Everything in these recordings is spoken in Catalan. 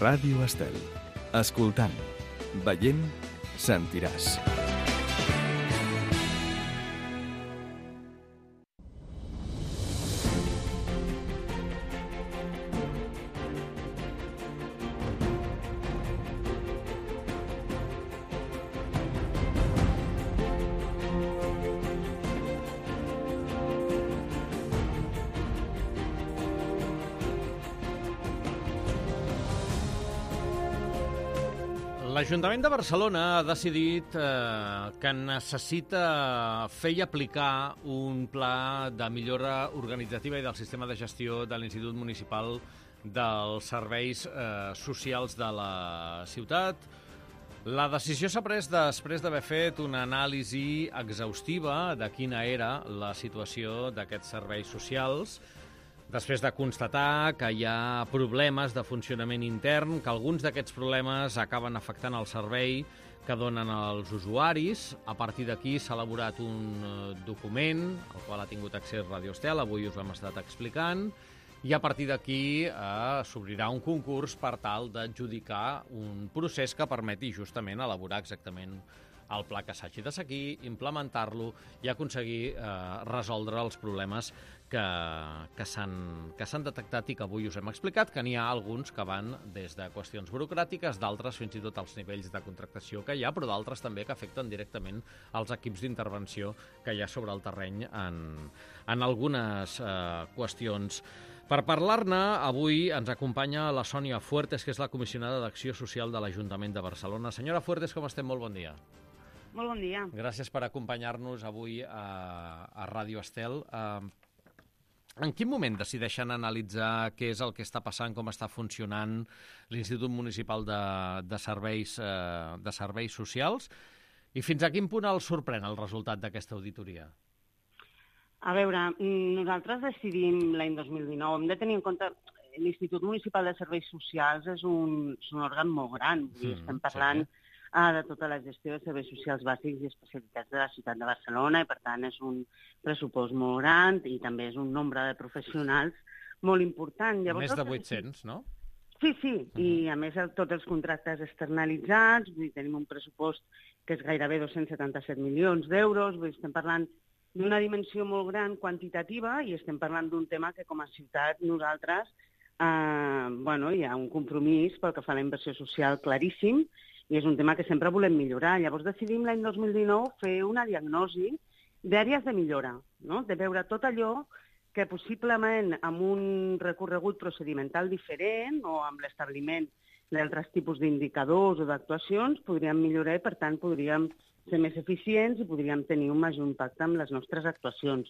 Ràdio Estel. Escoltant, veient, sentiràs. L'Ajuntament de Barcelona ha decidit que necessita fer i aplicar un pla de millora organitzativa i del sistema de gestió de l'Institut Municipal dels Serveis Socials de la ciutat. La decisió s'ha pres després d'haver fet una anàlisi exhaustiva de quina era la situació d'aquests serveis socials, després de constatar que hi ha problemes de funcionament intern, que alguns d'aquests problemes acaben afectant el servei que donen als usuaris. A partir d'aquí s'ha elaborat un document, al qual ha tingut accés Ràdio Estel, avui us l'hem estat explicant, i a partir d'aquí s'obrirà un concurs per tal d'adjudicar un procés que permeti justament elaborar exactament el pla que s'hagi de seguir, implementar-lo i aconseguir resoldre els problemes que s'han detectat i que avui us hem explicat, que n'hi ha alguns que van des de qüestions burocràtiques, d'altres fins i tot als nivells de contractació que hi ha, però d'altres també que afecten directament els equips d'intervenció que hi ha sobre el terreny en algunes qüestions. Per parlar-ne, avui ens acompanya la Sònia Fuertes, que és la comissionada d'Acció Social de l'Ajuntament de Barcelona. Senyora Fuertes, com estem? Molt bon dia. Molt bon dia. Gràcies per acompanyar-nos avui a Ràdio Estel. En quin moment decideixen analitzar què és el que està passant, com està funcionant l'Institut Municipal de Serveis Socials i fins a quin punt els sorprèn el resultat d'aquesta auditoria? A veure, nosaltres decidim l'any 2019. Hem de tenir en compte l'Institut Municipal de Serveis Socials és un òrgan molt gran. Estem parlant de tota la gestió de serveis socials bàsics i especialitats de la ciutat de Barcelona i, per tant, és un pressupost molt gran i també és un nombre de professionals molt important. Més de 800, no? Sí, i a més tots els contractes externalitzats, tenim un pressupost que és gairebé 277 milions d'euros, estem parlant d'una dimensió molt gran quantitativa i estem parlant d'un tema que com a ciutat nosaltres hi ha un compromís pel que fa a la inversió social claríssim i és un tema que sempre volem millorar. Llavors decidim l'any 2019 fer una diagnosi d'àrees de millora, no? De veure tot allò que possiblement amb un recorregut procedimental diferent o amb l'establiment d'altres tipus d'indicadors o d'actuacions podríem millorar i, per tant, podríem ser més eficients i podríem tenir un major impacte amb les nostres actuacions.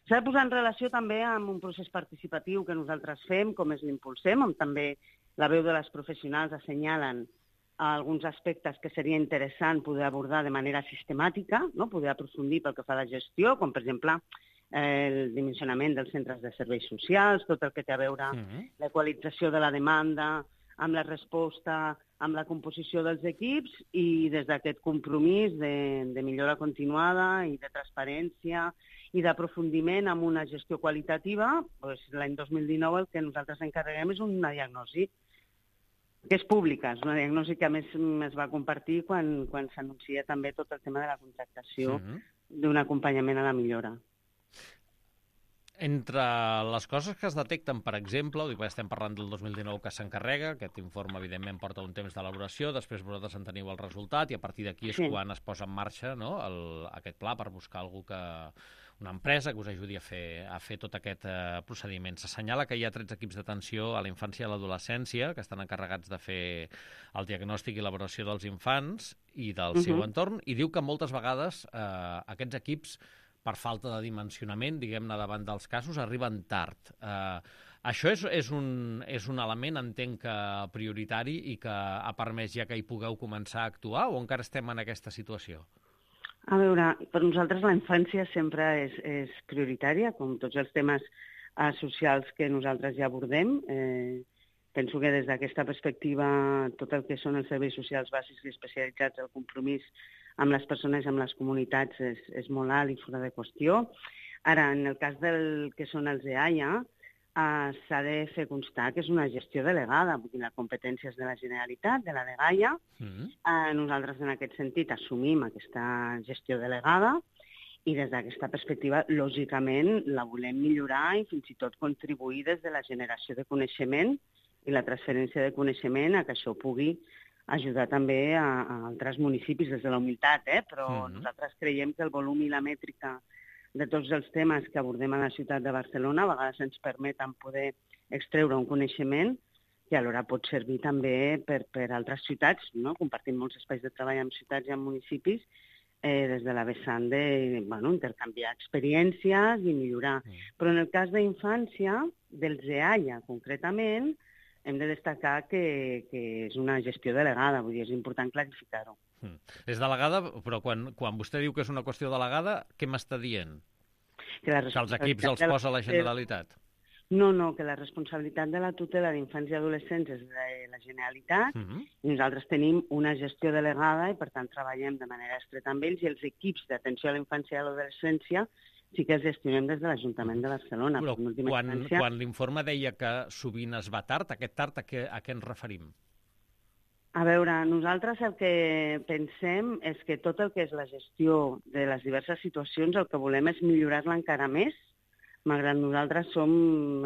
S'ha de posar en relació també amb un procés participatiu que nosaltres fem, com és l'Impulsem, on també la veu de les professionals assenyalen alguns aspectes que seria interessant poder abordar de manera sistemàtica, no? Poder aprofundir pel que fa a la gestió, com per exemple el dimensionament dels centres de serveis socials, tot el que té a veure l'equalització de la demanda, amb la resposta, amb la composició dels equips i des d'aquest compromís de millora continuada i de transparència i d'aprofundiment amb una gestió qualitativa, doncs l'any 2019 el que nosaltres encarreguem és una diagnosi que és pública, és una diagnosi que a més es va compartir quan s'anuncia també tot el tema de la contractació d'un acompanyament a la millora. Entre les coses que es detecten, per exemple, ho dic perquè estem parlant del 2019 que s'encarrega, aquest informe evidentment porta un temps d'elaboració, després vosaltres en teniu el resultat i a partir d'aquí és quan es posa en marxa, no, aquest pla per buscar una empresa que us ajudi a fer tot aquest procediment. S'assenyala que hi ha 13 equips d'atenció a la infància i a l'adolescència que estan encarregats de fer el diagnòstic i elaboració dels infants i del seu entorn i diu que moltes vegades aquests equips per falta de dimensionament, diguem-ne, davant dels casos, arriben tard. Això és un element, entenc, prioritari i que ha permès ja que hi pugueu començar a actuar o encara estem en aquesta situació? A veure, per nosaltres la infància sempre és prioritària, com tots els temes socials que nosaltres ja abordem. Penso que des d'aquesta perspectiva tot el que són els serveis socials bàsics i especialitzats, el compromís amb les persones i amb les comunitats és molt alt i fora de qüestió. Ara, en el cas del que són els EAIA, s'ha de fer constar que és una gestió delegada, vull dir, la competència és de la Generalitat, de la dgaia. Nosaltres, en aquest sentit, assumim aquesta gestió delegada i des d'aquesta perspectiva, lògicament, la volem millorar i fins i tot contribuir des de la generació de coneixement i la transferència de coneixement a que això pugui ajudar també a altres municipis des de la humilitat, però nosaltres creiem que el volum i la mètrica de tots els temes que abordem a la ciutat de Barcelona a vegades ens permeten poder extreure un coneixement que alhora pot servir també per altres ciutats, no? Compartim molts espais de treball amb ciutats i amb municipis des de la vessant d'intercanviar experiències i millorar. Però en el cas d'infància, del EAIA concretament, hem de destacar que és una gestió delegada, vull dir, és important clarificar-ho. És delegada, però quan vostè diu que és una qüestió delegada, què m'està dient? Que els equips els posa la Generalitat? No, que la responsabilitat de la tutela d'infants i adolescents és de la Generalitat i nosaltres tenim una gestió delegada i, per tant, treballem de manera estreta amb ells i els equips d'atenció a la infància i a l'adolescència sí que els gestionem des de l'Ajuntament de Barcelona. Però quan l'informe deia que sovint es va tard, aquest tard a què ens referim? A veure, nosaltres el que pensem és que tot el que és la gestió de les diverses situacions el que volem és millorar-la encara més, malgrat nosaltres som,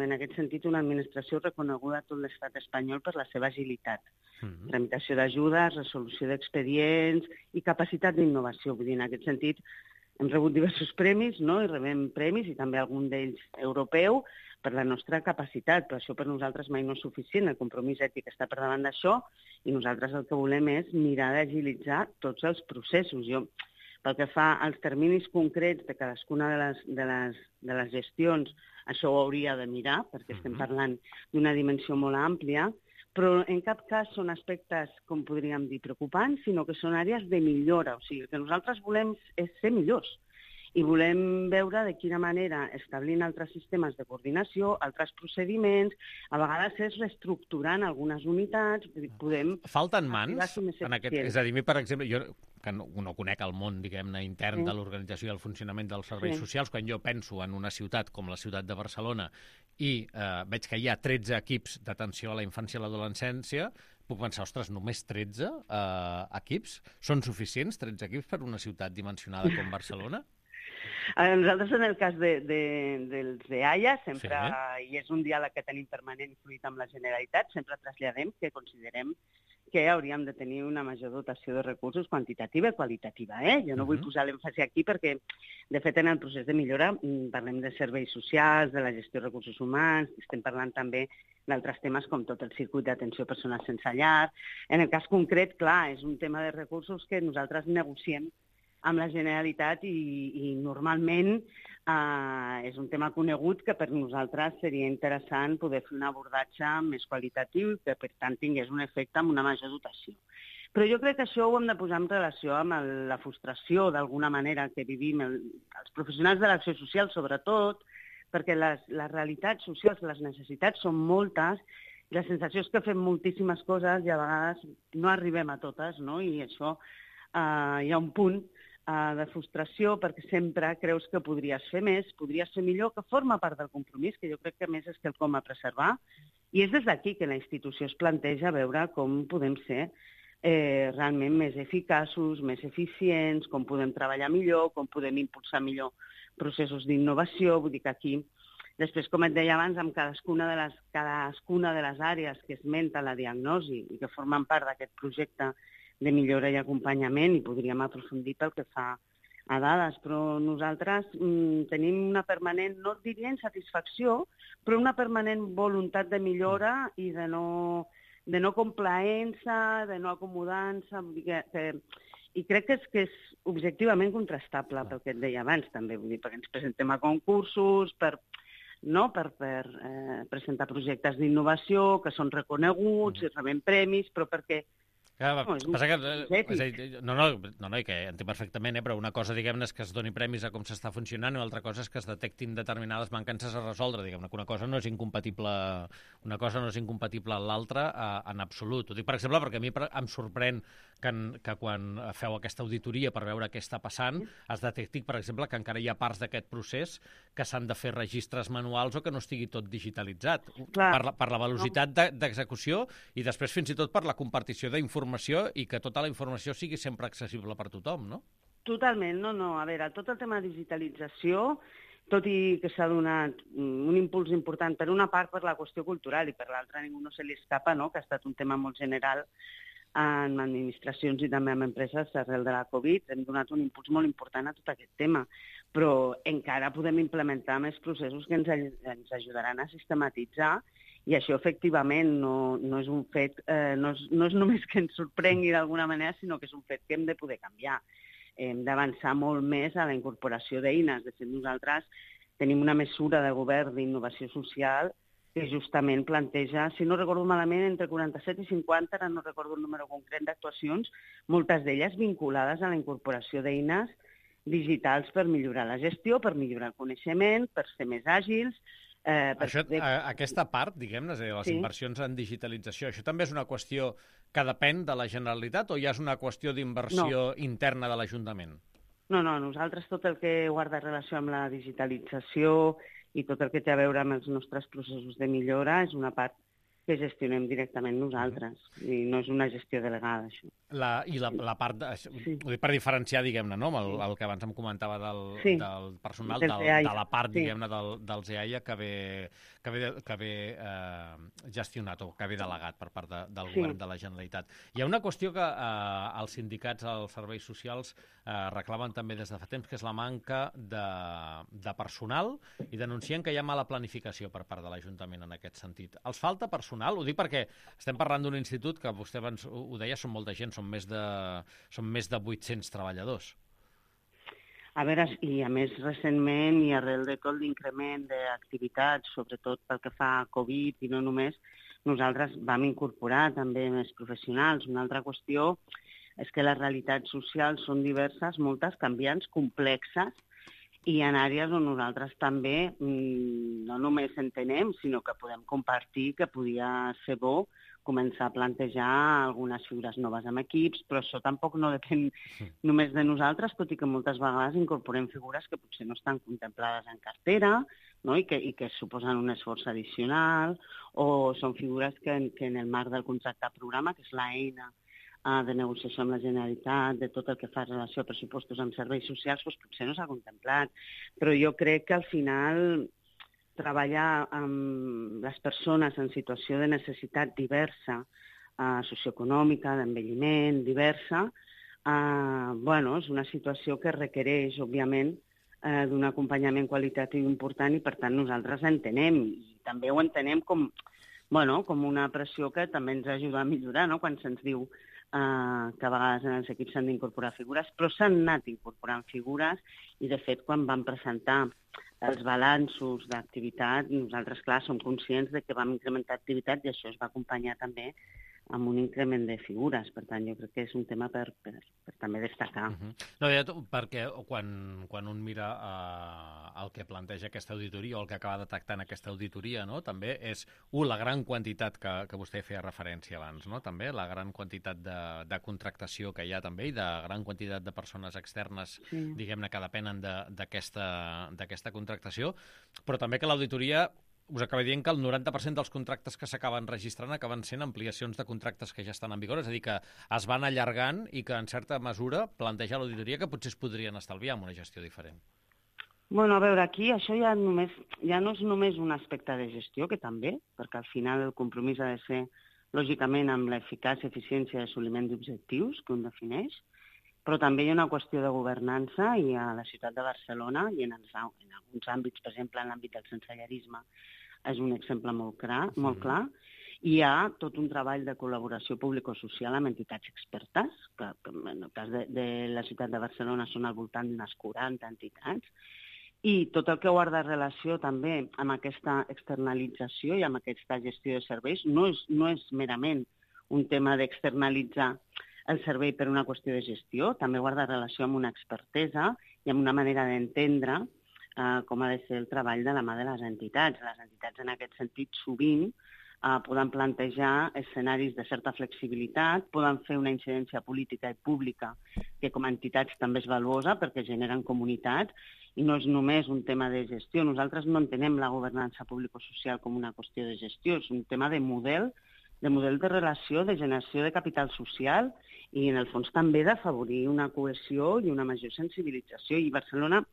en aquest sentit, una administració reconeguda a tot l'estat espanyol per la seva agilitat. Tramitació d'ajudes, resolució d'expedients i capacitat d'innovació. Vull dir, en aquest sentit, hem rebut diversos premis, no? I rebem premis, i també algun d'ells europeu, per la nostra capacitat, però això per nosaltres mai no és suficient. El compromís ètic està per davant d'això i nosaltres el que volem és mirar d'agilitzar tots els processos. Pel que fa als terminis concrets de cadascuna de les gestions, això ho hauria de mirar, perquè estem parlant d'una dimensió molt àmplia, però en cap cas són aspectes, com podríem dir, preocupants, sinó que són àrees de millora. O sigui, el que nosaltres volem és ser millors i volem veure de quina manera, establint altres sistemes de coordinació, altres procediments, a vegades és reestructurant algunes unitats, podem... Falten mans en aquest... És a dir, per exemple, jo que no conec el món, diguem-ne, intern de l'organització i el funcionament dels serveis socials, quan jo penso en una ciutat com la ciutat de Barcelona i veig que hi ha 13 equips d'atenció a la infància i l'adolescència, puc pensar, ostres, només 13 equips? Són suficients 13 equips per una ciutat dimensionada com Barcelona? Nosaltres, en el cas dels EAIA, sempre, i és un diàleg que tenim permanent i fluid amb la Generalitat, sempre traslladem que considerem que hauríem de tenir una major dotació de recursos quantitativa i qualitativa. Jo no vull posar l'èmfasi aquí perquè, de fet, en el procés de millora parlem de serveis socials, de la gestió de recursos humans, estem parlant també d'altres temes com tot el circuit d'atenció a persones sense llar. En el cas concret, clar, és un tema de recursos que nosaltres negociem amb la Generalitat i normalment és un tema conegut que per nosaltres seria interessant poder fer un abordatge més qualitatiu i que, per tant, tingués un efecte amb una major dotació. Però jo crec que això ho hem de posar en relació amb la frustració, d'alguna manera, que vivim els professionals de l'acció social, sobretot, perquè les realitats socials, les necessitats són moltes, i la sensació és que fem moltíssimes coses i a vegades no arribem a totes, no? I això hi ha un punt de frustració perquè sempre creus que podries fer més, podries fer millor, que forma part del compromís, que jo crec que més és quelcom a preservar, i és des d'aquí que la institució es planteja veure com podem ser realment més eficaços, més eficients, com podem treballar millor, com podem impulsar millor processos d'innovació. Vull dir que aquí, després, com et deia abans, amb cadascuna de les àrees que esmenta la diagnosi i que formen part d'aquest projecte de millora i acompanyament, i podríem aprofundir pel que fa a dades, però nosaltres tenim una permanent, no diria insatisfacció, però una permanent voluntat de millora i de no complaença, de no acomodança, i crec que és objectivament contrastable pel que et deia abans també, vull dir, perquè ens presentem a concursos, per presentar projectes d'innovació que són reconeguts i rebem premis, però perquè Passa que... No, i que entenc perfectament, però una cosa, diguem-ne, és que es doni premis a com s'està funcionant i l'altra cosa és que es detectin determinades mancances a resoldre, diguem-ne, que una cosa no és incompatible amb l'altra en absolut. Ho dic, per exemple, perquè a mi em sorprèn que quan feu aquesta auditoria per veure què està passant, es detecti, per exemple, que encara hi ha parts d'aquest procés que s'han de fer registres manuals o que no estigui tot digitalitzat. Per la velocitat d'execució i després fins i tot per la compartició d'informació i que tota la informació sigui sempre accessible per tothom, no? Totalment, no. A veure, tot el tema de digitalització, tot i que s'ha donat un impuls important per una part per la qüestió cultural i per l'altra a ningú no se li escapa, no?, que ha estat un tema molt general en administracions i també en empreses arrel de la Covid. Hem donat un impuls molt important a tot aquest tema, però encara podem implementar més processos que ens ajudaran a sistematitzar i això efectivament no és un fet, no és només que ens sorprengui d'alguna manera, sinó que és un fet que hem de poder canviar. Hem d'avançar molt més a la incorporació d'eines. De fet, nosaltres tenim una mesura de govern d'innovació social que justament planteja, si no recordo malament, entre 47 i 50, ara no recordo el número concret d'actuacions, moltes d'elles vinculades a la incorporació d'eines digitals per millorar la gestió, per millorar el coneixement, per ser més àgils. Aquesta part, diguem-ne, les inversions en digitalització, això també és una qüestió que depèn de la Generalitat o ja és una qüestió d'inversió interna de l'Ajuntament? No, nosaltres tot el que guarda relació amb la digitalització i tot el que té a veure amb els nostres processos de millora és una part que gestionem directament nosaltres. I no és una gestió delegada, això. La part, ho dic per diferenciar, diguem-ne, no? El que abans em comentava del personal, de la part, diguem-ne, dels EAIA que ve gestionat o que ve delegat per part del govern de la Generalitat. Hi ha una qüestió que els sindicats als serveis socials reclamen també des de fa temps, que és la manca de personal, i denuncien que hi ha mala planificació per part de l'Ajuntament en aquest sentit. Els falta personal? Ho dic perquè estem parlant d'un institut que vostè abans ho deia, són molta gent, són més de 800 treballadors. A veure, i a més recentment i arrel de tot l'increment d'activitats, sobretot pel que fa a Covid i no només, nosaltres vam incorporar també més professionals. Una altra qüestió és que les realitats socials són diverses, moltes, canviants, complexes, i en àrees on nosaltres també no només entenem, sinó que podem compartir que podia ser bo començar a plantejar algunes figures noves amb equips, però això tampoc no depèn només de nosaltres, tot i que moltes vegades incorporem figures que potser no estan contemplades en cartera, no? I que suposen un esforç addicional, o són figures que en el marc del contracte programa, que és l'eina de negociació amb la Generalitat, de tot el que fa relació a pressupostos amb serveis socials, doncs potser no s'ha contemplat. Però jo crec que al final treballar amb les persones en situació de necessitat diversa, socioeconòmica, d'envelliment, diversa, és una situació que requereix, òbviament, d'un acompanyament qualitatiu important i, per tant, nosaltres l'entenem. I també ho entenem com una pressió que també ens ajuda a millorar, no?, quan se'ns diu que a vegades en els equips s'han d'incorporar figures, però s'han anat incorporant figures i, de fet, quan vam presentar els balanços d'activitat, nosaltres, clar, som conscients de que vam incrementar activitat i això es va acompanyar també amb un increment de figures. Per tant, jo crec que és un tema per també destacar. No, perquè quan un mira el que planteja aquesta auditoria o el que acaba detectant aquesta auditoria, no?, també és, la gran quantitat que vostè feia referència abans, no?, també la gran quantitat de contractació que hi ha també i de gran quantitat de persones externes, diguem-ne, que depenen d'aquesta contractació, però també que l'auditoria us acaba dient que el 90% dels contractes que s'acaben registrant acaben sent ampliacions de contractes que ja estan en vigor, és a dir, que es van allargant i que, en certa mesura, planteja l'auditoria que potser es podrien estalviar amb una gestió diferent. A veure, aquí això ja no és només un aspecte de gestió, que també, perquè al final el compromís ha de ser, lògicament, amb l'eficàcia, eficiència i assoliment d'objectius que un defineix, però també hi ha una qüestió de governança i a la ciutat de Barcelona i en alguns àmbits, per exemple, en l'àmbit del sensellarisme, és un exemple molt clar. Hi ha tot un treball de col·laboració público-social amb entitats expertes, que en el cas de la ciutat de Barcelona són al voltant d'unes 40 entitats, i tot el que guarda relació també amb aquesta externalització i amb aquesta gestió de serveis no és merament un tema d'externalitzar el servei per una qüestió de gestió, també guarda relació amb una expertesa i amb una manera d'entendre com ha de ser el treball de la mà de les entitats. Les entitats, en aquest sentit, sovint poden plantejar escenaris de certa flexibilitat, poden fer una incidència política i pública que com a entitats també és valuosa perquè generen comunitat i no és només un tema de gestió. Nosaltres no entenem la governança público-social com una qüestió de gestió, és un tema de model de relació, de generació de capital social i, en el fons, també d'afavorir una cohesió i una major sensibilització. I Barcelona,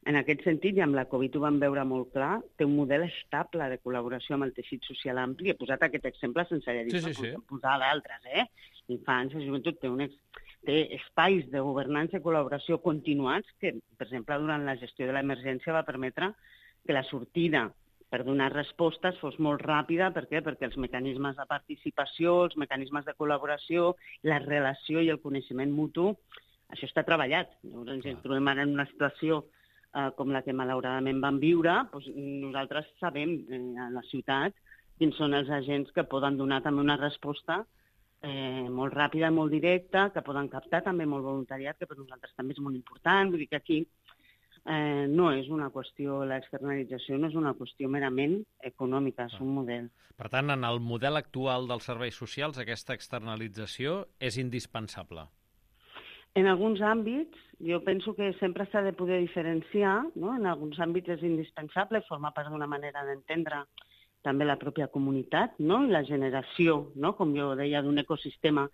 en aquest sentit, i amb la Covid ho vam veure molt clar, té un model estable de col·laboració amb el teixit social ampli. He posat aquest exemple sense haver dit posar d'altres, Infància, joventut, té espais de governança i col·laboració continuats que, per exemple, durant la gestió de l'emergència va permetre que la sortida per donar respostes fos molt ràpida. Per què? Perquè els mecanismes de participació, els mecanismes de col·laboració, la relació i el coneixement mutu, això està treballat. Llavors ens trobem ara en una situació com la que malauradament vam viure, doncs nosaltres sabem a la ciutat quins són els agents que poden donar també una resposta molt ràpida i molt directa, que poden captar també molt voluntariat, que per nosaltres també és molt important. Vull dir que aquí no és una qüestió, l'externalització no és una qüestió merament econòmica, és un model. Per tant, en el model actual dels serveis socials, aquesta externalització és indispensable. En alguns àmbits, jo penso que sempre s'ha de poder diferenciar, no? En alguns àmbits és indispensable, forma part d'una manera d'entendre també la pròpia comunitat, no? I la generació, no? Com jo deia, d'un ecosistema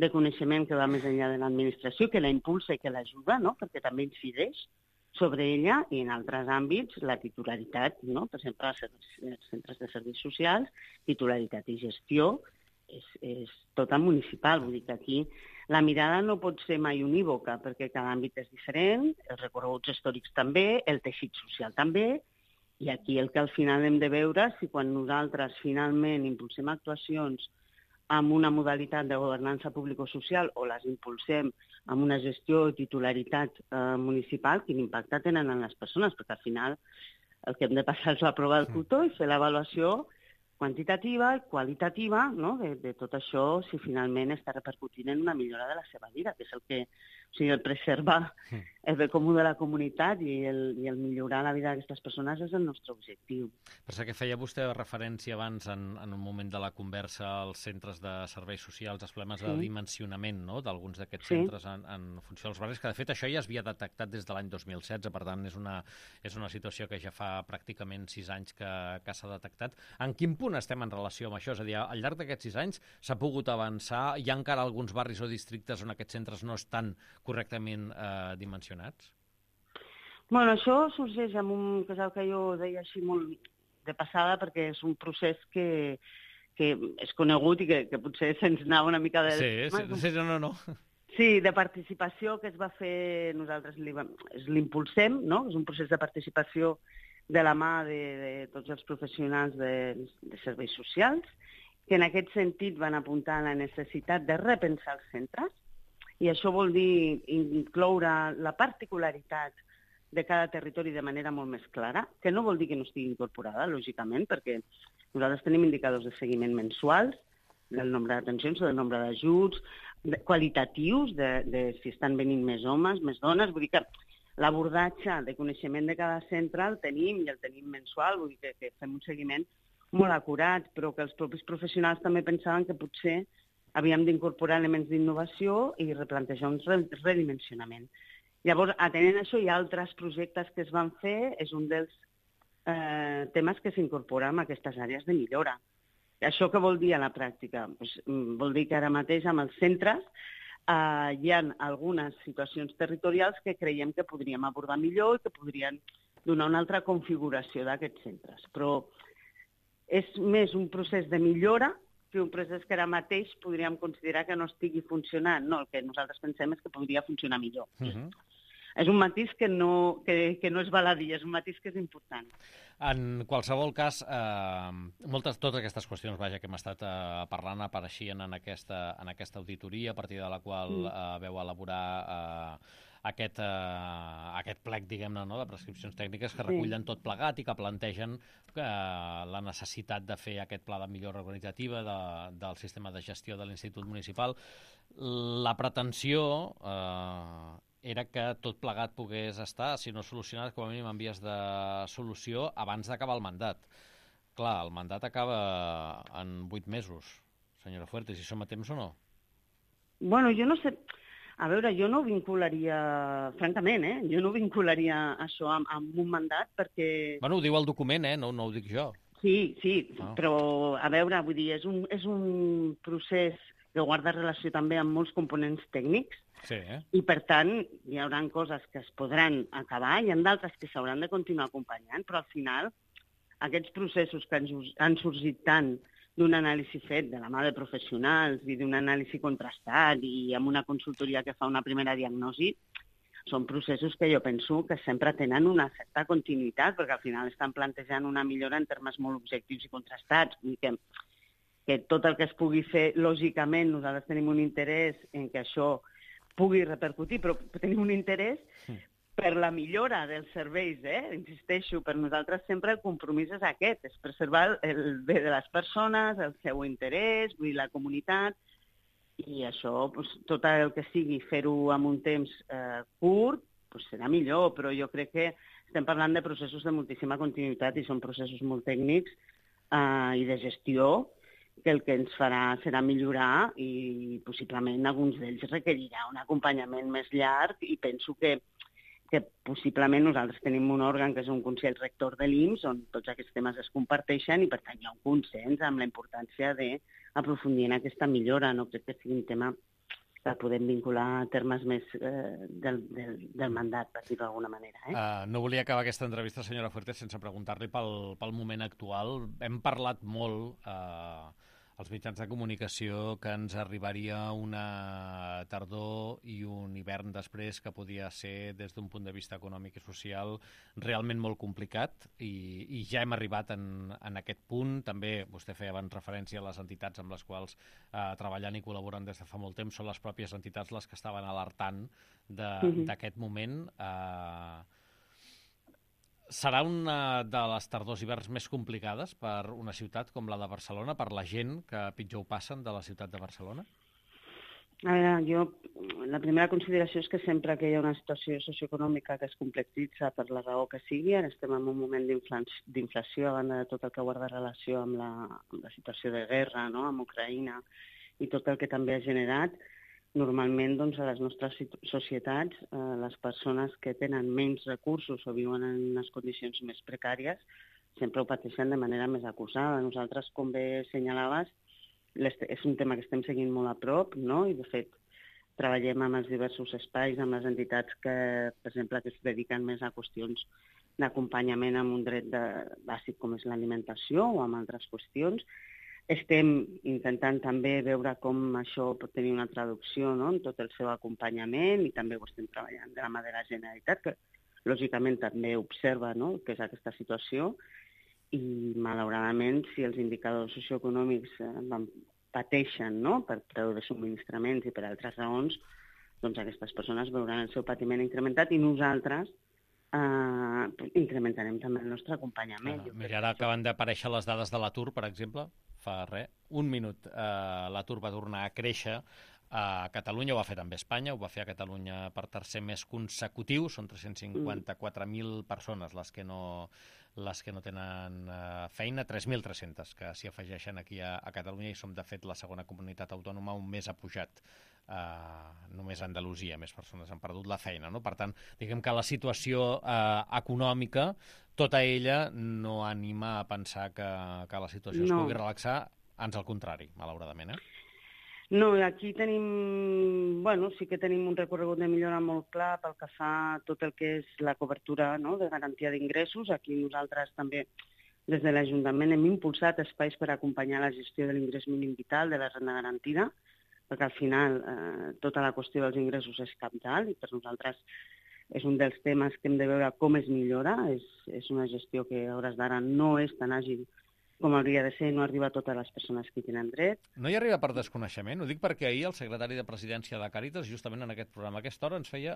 de coneixement que va més enllà de l'administració, que la impulsa i que l'ajuda, no? Perquè també incideix sobre ella, i en altres àmbits la titularitat, no? Per exemple, els centres de serveis socials, titularitat i gestió és tota municipal. Vull dir que aquí la mirada no pot ser mai unívoca, perquè cada àmbit és diferent, els recorreguts històrics també, el teixit social també, i aquí el que al final hem de veure si quan nosaltres finalment impulsem actuacions amb una modalitat de governança público-social o les impulsem amb una gestió i titularitat municipal, quin impacte tenen en les persones, perquè al final el que hem de passar és la prova del cotó i fer l'avaluació quantitativa i qualitativa, no? de tot això, si finalment està repercutint en una millora de la seva vida, que és el que, o sigui, el preservar el bé comú de la comunitat i el millorar la vida d'aquestes persones és el nostre objectiu. Per això que feia vostè referència abans en un moment de la conversa als centres de serveis socials, als problemes de dimensionament, no? D'alguns d'aquests centres en funció dels barris, que de fet això ja es havia detectat des de l'any 2016, per tant és una situació que ja fa pràcticament 6 anys que s'ha detectat. En quin punt estem en relació amb això? És a dir, al llarg d'aquests 6 anys s'ha pogut avançar? Hi ha encara alguns barris o districtes on aquests centres no estan correctament dimensionats? Bueno, això sorgeix amb que és el que jo deia així molt de passada, perquè és un procés que és conegut i que potser se'ns anava una mica de... No. Sí, de participació que es va fer, nosaltres l'impulsem, no? És un procés de participació de la mà de tots els professionals de serveis socials, que en aquest sentit van apuntar a la necessitat de repensar els centres, i això vol dir incloure la particularitat de cada territori de manera molt més clara, que no vol dir que no estigui incorporada, lògicament, perquè nosaltres tenim indicadors de seguiment mensuals del nombre d'atencions o del nombre d'ajuts, qualitatius, de si estan venint més homes, més dones. Vull dir que l'abordatge de coneixement de cada centre el tenim i el tenim mensual, vull dir que fem un seguiment molt acurat, però que els propis professionals també pensaven que potser havíem d'incorporar elements d'innovació i replantejar un redimensionament. Llavors, atenent això, hi ha altres projectes que es van fer, és un dels temes que s'incorpora en aquestes àrees de millora. Això què vol dir a la pràctica? Pues, vol dir que ara mateix amb els centres hi ha algunes situacions territorials que creiem que podríem abordar millor i que podrien donar una altra configuració d'aquests centres. Però és més un procés de millora que un procés que ara mateix podríem considerar que no estigui funcionant. No, el que nosaltres pensem és que podria funcionar millor. És un matís que no és baladí, és un matís que és important. En qualsevol cas, totes aquestes qüestions que hem estat parlant apareixien en aquesta auditoria, a partir de la qual veu elaborar aquest plec, diguem-ne, no?, de prescripcions tècniques que recullen tot plegat i que plantegen la necessitat de fer aquest pla de millora organitzativa del sistema de gestió de l'Institut Municipal. La pretensió era que tot plegat pogués estar, si no solucionat, com a mínim en vies de solució abans d'acabar el mandat. Clar, el mandat acaba en 8 mesos, senyora Fuertes, si som a temps o no? Bueno, jo no sé... A veure, jo no vincularia, francament, jo no vincularia això amb un mandat perquè... Bueno, ho diu el document, no ho dic jo. Sí, però, a veure, vull dir, és un procés que guarda relació també amb molts components tècnics, sí, i, per tant, hi haurà coses que es podran acabar i hi ha d'altres que s'hauran de continuar acompanyant, però al final aquests processos que han sorgit tant d'un anàlisi fet de la mà de professionals i d'un anàlisi contrastat i amb una consultoria que fa una primera diagnosi, són processos que jo penso que sempre tenen una certa continuïtat, perquè al final estan plantejant una millora en termes molt objectius i contrastats. Vull dir que tot el que es pugui fer, lògicament, nosaltres tenim un interès en que això pugui repercutir, però tenim un interès per la millora dels serveis, insisteixo, per nosaltres sempre el compromís és aquest, és preservar el bé de les persones, el seu interès, vull dir, la comunitat, i això, tot el que sigui fer-ho en un temps curt, serà millor, però jo crec que estem parlant de processos de moltíssima continuïtat i són processos molt tècnics i de gestió, que el que ens farà serà millorar i possiblement alguns d'ells requerirà un acompanyament més llarg i penso que possiblement nosaltres tenim un òrgan que és un Consell Rector de l'IMSS on tots aquests temes es comparteixen i per tant hi ha un consens amb la importància d'aprofundir en aquesta millora. No crec que sigui un tema que podem vincular a termes més del mandat, per dir-ho d'alguna manera. No volia acabar aquesta entrevista, senyora Fuertes, sense preguntar-li pel moment actual. Hem parlat molt als mitjans de comunicació que ens arribaria una tardor i un hivern després que podia ser, des d'un punt de vista econòmic i social, realment molt complicat i ja hem arribat en aquest punt. També vostè feia abans referència a les entitats amb les quals treballant i col·laboren des de fa molt temps. Són les pròpies entitats les que estaven alertant d'aquest moment. Serà una de les tardors hiverns més complicades per una ciutat com la de Barcelona, per la gent que pitjor ho passen de la ciutat de Barcelona? A veure, la primera consideració és que sempre que hi ha una situació socioeconòmica que es complexitza per la raó que sigui, ara estem en un moment d'inflació a banda de tot el que guarda relació amb la situació de guerra, amb Ucraïna i tot el que també ha generat, normalment a les nostres societats les persones que tenen menys recursos o viuen en unes condicions més precàries sempre ho pateixen de manera més acusada. Nosaltres, com bé assenyalaves, és un tema que estem seguint molt a prop, i de fet treballem amb els diversos espais, amb les entitats que, per exemple, que es dediquen més a qüestions d'acompanyament amb un dret bàsic com és l'alimentació o amb altres qüestions. Estem intentant també veure com això pot tenir una traducció en tot el seu acompanyament i també ho estem treballant de la mà de la Generalitat, que lògicament també observa que és aquesta situació i malauradament si els indicadors socioeconòmics pateixen per preu de subministraments i per altres raons, doncs aquestes persones veuran el seu patiment incrementat i nosaltres incrementarem també el nostre acompanyament. Mira, ara acaben d'aparèixer les dades de l'atur, per exemple, fa un minut l'atur va tornar a créixer a Catalunya, ho va fer també a Espanya, ho va fer a Catalunya per tercer mes consecutiu, són 354.000 persones les que no tenen feina, 3.300 que s'hi afegeixen aquí a Catalunya i som de fet la segona comunitat autònoma on més ha pujat. Només a Andalusia més persones han perdut la feina, no? Per tant, diguem que la situació econòmica, tota ella no anima a pensar que la situació es pugui relaxar, ans al contrari, malauradament. No, aquí tenim, sí que tenim un recorregut de millora molt clar pel que fa a tot el que és la cobertura de garantia d'ingressos. Aquí nosaltres també, des de l'Ajuntament, hem impulsat espais per acompanyar la gestió de l'ingrés mínim vital, de la renda garantida, perquè al final tota la qüestió dels ingressos és cabdal i per nosaltres és un dels temes que hem de veure com es millora. És una gestió que a hores d'ara no és tan àgil com hauria de ser, no arriba a totes les persones que hi tenen dret. No hi arriba per desconeixement? Ho dic perquè ahir el secretari de Presidència de Càritas, justament en aquest programa, a aquesta hora, ens feia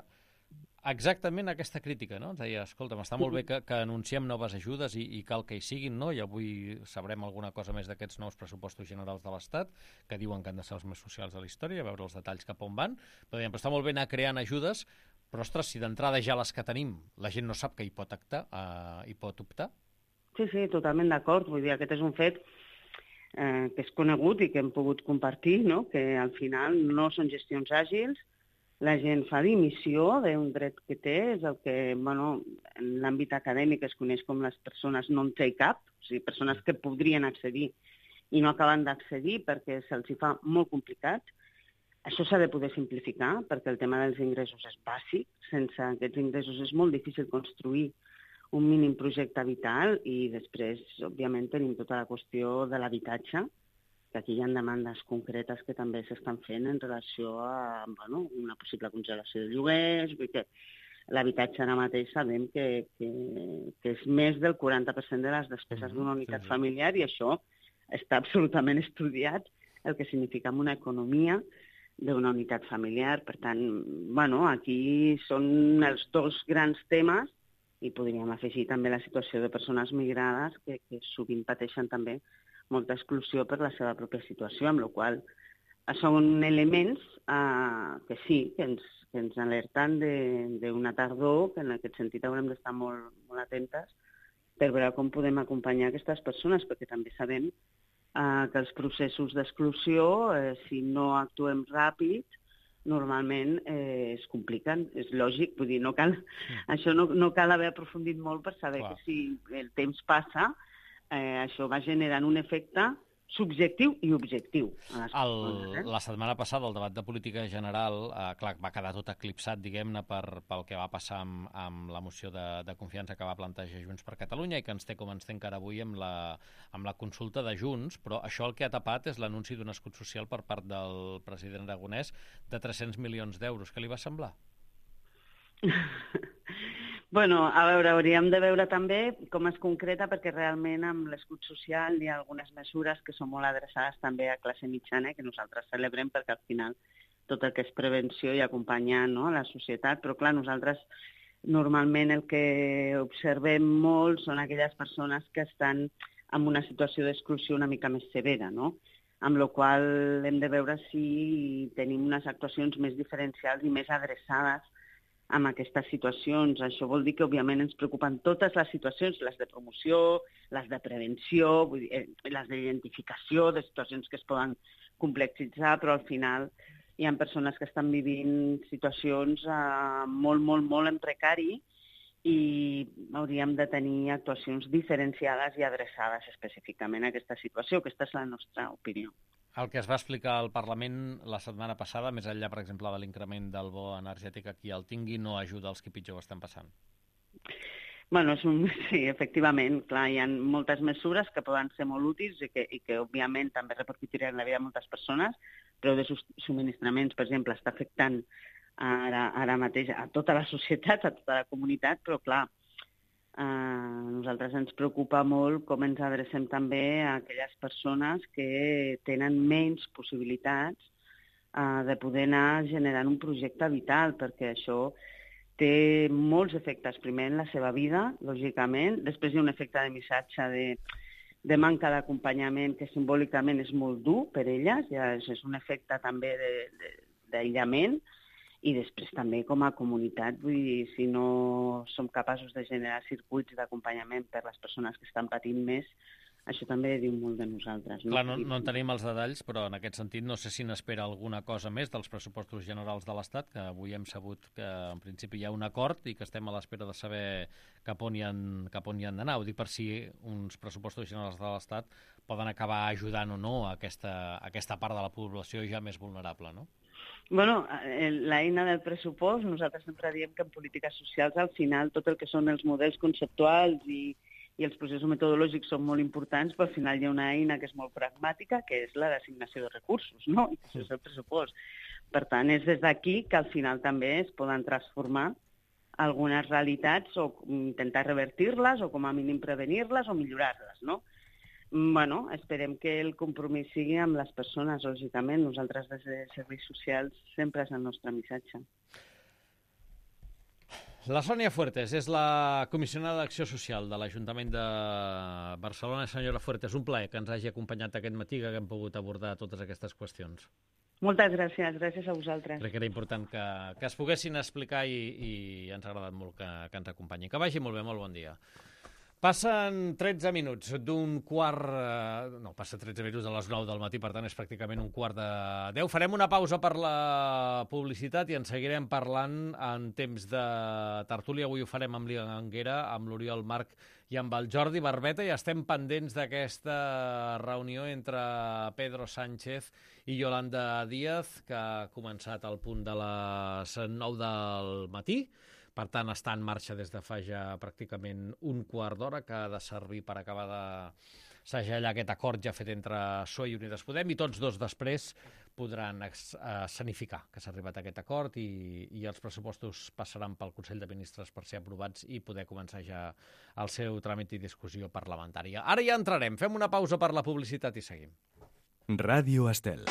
exactament aquesta crítica, no? Ens deia, escolta'm, està molt bé que anunciem noves ajudes i cal que hi siguin, no? I avui sabrem alguna cosa més d'aquests nous pressupostos generals de l'Estat, que diuen que han de ser els més socials de la història, a veure els detalls cap on van, però dèiem, està molt bé anar creant ajudes, però, ostres, si d'entrada ja les que tenim, la gent no sap que hi pot optar. Sí, totalment d'acord. Vull dir, aquest és un fet que és conegut i que hem pogut compartir, no? Que al final no són gestions àgils, la gent fa dimissió d'un dret que té, és el que, en l'àmbit acadèmic es coneix com les persones non take up, o sigui, persones que podrien accedir i no acaben d'accedir perquè se'ls fa molt complicat. Això s'ha de poder simplificar, perquè el tema dels ingressos és bàsic. Sense aquests ingressos és molt difícil construir un mínim projecte vital i després, òbviament, tenim tota la qüestió de l'habitatge, que aquí hi ha demandes concretes que també s'estan fent en relació a una possible congelació de lloguers. Vull dir que l'habitatge ara mateix sabem que és més del 40% de les despeses d'una unitat familiar i això està absolutament estudiat, el que significa en una economia d'una unitat familiar. Per tant, aquí són els dos grans temes i podríem afegir també la situació de persones migrades que sovint pateixen també molta exclusió per la seva pròpia situació, amb la qual són elements que sí, que ens alerten d'una tardor, que en aquest sentit haurem d'estar molt, molt atentes per veure com podem acompanyar aquestes persones, perquè també sabem que els processos d'exclusió, si no actuem ràpid, normalment es compliquen. És lògic, vull dir, això no cal haver aprofundit molt per saber que si el temps passa, això va generant un efecte subjectiu i objectiu. La setmana passada, el debat de política general, va quedar tot eclipsat, diguem-ne, pel que va passar amb la moció de confiança que va plantejar Junts per Catalunya i que ens té com ens té encara avui amb la consulta de Junts, però això el que ha tapat és l'anunci d'un escut social per part del president aragonès de 300 milions d'euros. Què li va semblar? A veure, hauríem de veure també com es concreta, perquè realment amb l'escut social hi ha algunes mesures que són molt adreçades també a classe mitjana, que nosaltres celebrem perquè al final tot el que és prevenció i acompanyar la societat, però clar, nosaltres normalment el que observem molt són aquelles persones que estan en una situació d'exclusió una mica més severa, no? Amb la qual hem de veure si tenim unes actuacions més diferencials i més adreçades amb aquestes situacions. Això vol dir que, òbviament, ens preocupen totes les situacions, les de promoció, les de prevenció, les d'identificació de situacions que es poden complexitzar, però al final hi ha persones que estan vivint situacions molt, molt, molt en precari i hauríem de tenir actuacions diferenciades i adreçades específicament a aquesta situació. Aquesta és la nostra opinió. El que es va explicar al Parlament la setmana passada, més enllà, per exemple, de l'increment del bo energètic a qui el tingui, no ajuda als qui pitjor ho estan passant. Sí, efectivament. Clar, hi ha moltes mesures que poden ser molt útils i que òbviament, també repercutiran en la vida de moltes persones, però de subministraments, per exemple, està afectant ara mateix a tota la societat, a tota la comunitat, però clar, a nosaltres ens preocupa molt com ens adrecem també a aquelles persones que tenen menys possibilitats de poder anar generant un projecte vital, perquè això té molts efectes. Primer en la seva vida, lògicament, després hi ha un efecte de missatge de manca d'acompanyament que simbòlicament és molt dur per elles, ja és un efecte també d'aïllament, i després també com a comunitat, vull dir, si no som capaços de generar circuits d'acompanyament per les persones que estan patint més, això també diu molt de nosaltres. Clar, no en tenim els detalls, però en aquest sentit no sé si n'espera alguna cosa més dels pressupostos generals de l'Estat, que avui hem sabut que en principi hi ha un acord i que estem a l'espera de saber cap on hi han d'anar. Ho dic per si uns pressupostos generals de l'Estat poden acabar ajudant o no a aquesta part de la població ja més vulnerable, no? L'eina del pressupost, nosaltres sempre diem que en polítiques socials al final tot el que són els models conceptuals i els processos metodològics són molt importants, però al final hi ha una eina que és molt pragmàtica, que és la d'assignació de recursos, no? I això és el pressupost. Per tant, és des d'aquí que al final també es poden transformar algunes realitats o intentar revertir-les o com a mínim prevenir-les o millorar-les, no? Esperem que el compromís sigui amb les persones, lògicament. Nosaltres des de serveis socials sempre és el nostre missatge. La Sònia Fuertes és la comissionada d'Acció Social de l'Ajuntament de Barcelona. Senyora Fuertes, un plaer que ens hagi acompanyat aquest matí, que haguem pogut abordar totes aquestes qüestions. Moltes gràcies, gràcies a vosaltres. Crec que era important que es poguessin explicar i ens ha agradat molt que ens acompanyi. Que vagi molt bé, molt bon dia. Passen 13 minuts d'un quart... No, passa 13 minuts a les 9 del matí, per tant és pràcticament un quart de 10. Farem una pausa per la publicitat i en seguirem parlant en temps de tertúlia. Avui ho farem amb l'Anguera, amb l'Oriol Marc i amb el Jordi Barbeta, i estem pendents d'aquesta reunió entre Pedro Sánchez i Yolanda Díaz, que ha començat al punt de les 9 del matí. Per tant, està en marxa des de fa ja pràcticament un quart d'hora, que ha de servir per acabar de segellar aquest acord ja fet entre PSOE i Unides Podem, i tots dos després podran escenificar que s'ha arribat a aquest acord i els pressupostos passaran pel Consell de Ministres per ser aprovats i poder començar ja el seu tràmit i discussió parlamentària. Ara ja entrarem, fem una pausa per la publicitat i seguim. Ràdio Estel.